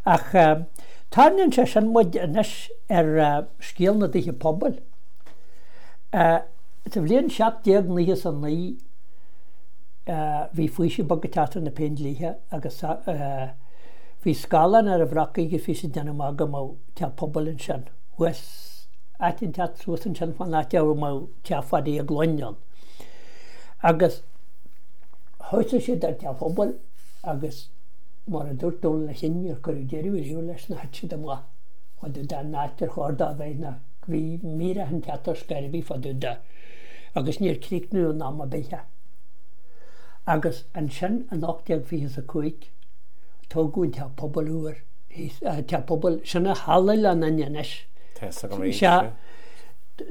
Ach tarraingíonn sé sin muid anois ar scéal na dtithe pobail. Sa bhliain 1799 bhí faoiseamh beag ag teacht ar na Péindlíthe agus bhí scáthláin ar an Bhrocaigh agus bhí siad ag déanamh amach go mbeadh teach pobail ansin thuas, áit inteacht suas ansin fán áit a mbeadh teach Phadaí Uí Ghloinn ann. Agus thosaigh siad ar teach pobail agus mar a dúirt Dónal Ó Chinn níor cuireadh deireadh riamh leis nó thit siad amach fá dtaobh den áit ar chóir dó a bheith ná bhí míreach an teach ar scor ar bith fá dtaobh de agus níor críochnaíodh in am ar bith é. Agus ansin in 1825 tógadh an teach pobail úr, teach pobail, sin é Halla Oileán Fhinn anois. Tá fhios agam arís, Sea.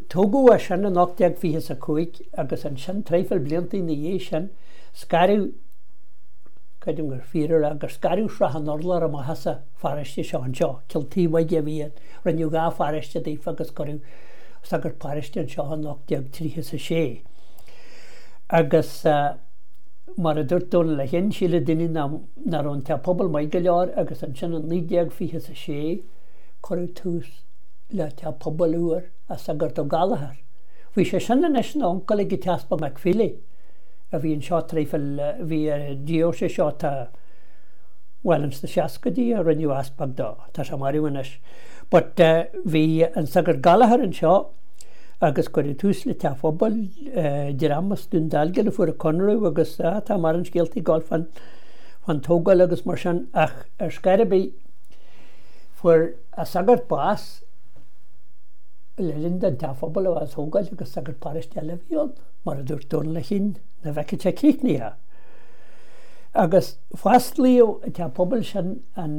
Tógadh é sin in 1825 agus ansin traidhfil blianta ina dhiaidh sin scaradh, creidim gur fíor a rá gur scaradh sraith an urláir amach as an pharóiste seo anseo, Cill Taobhaigh a bhí ann, rinneadh 2 pharóiste daofa agus cuireadh sagart paróiste anseo in 1836. Agus mar a dúirt Dónal Ó Chinn, síleadh daoine nach raibh an teach pobail maith go leor agus ansin in 1926 cuireadh tús le teach pobail úr ag Sagart Ó Gallchóir. Bhí sé sin anois ina uncail ag an t-easpag McFeely. a bhí anseo traidhfil, bhí ar an deoise seo tá, bhuel ins na seascaidí a rinneadh easpag dó, tá sé marbh anois. But bhí an Sagart Gallchóir anseo agus cuireadh tús le teach phobail, dream as Dún Dealgan a fuair an conradh agus tá mórán scéaltaí ag gabháil fán, fán tógáil agus mar sin ach ar scor ar bith fuair an sagart bás le linn don teach phobail a bheith á thógáil agus sagart paróiste eile a bhí ann. mar a dúirt Dónal Ó Chinn, nach bhfeicfeadh sé críochnaithe. Agus fosclaíodh an teach pobail sin, an,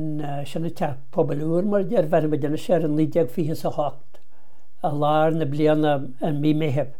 sin an teach pobail úr mar a deir, bhéarfaidh muid anois air, in 1928, i lár na bliana, i mí Meithimh.